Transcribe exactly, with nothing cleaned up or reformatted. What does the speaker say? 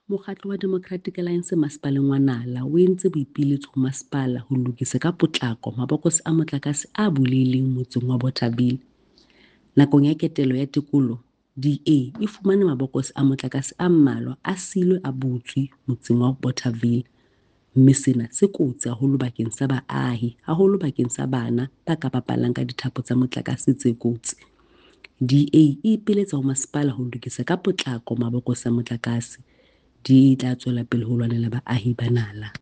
Mokgatlo wa Democratic Alliance Masepaleng wa Nala o entse boipiletso ho masepala ho lokisa ka potlako mabokose a motlakase a bulehileng motseng wa Bothaville. Nakong ya ketelo ya tekolo, D A e fumane mabokose a motlakase a mmalwa a siilwe a butswe motseng wa Bothaville, mme sena se kotsi haholo bakeng sa baahi, haholo bakeng sa bana ba ka bapalang ka dithapo tsa motlakase tse kotsi. D A e ipiletsa ho masepala ho lokisa ka potlako mabokose a motlakase. D A e tla tswela pele ho lwanela baahi ba Nala.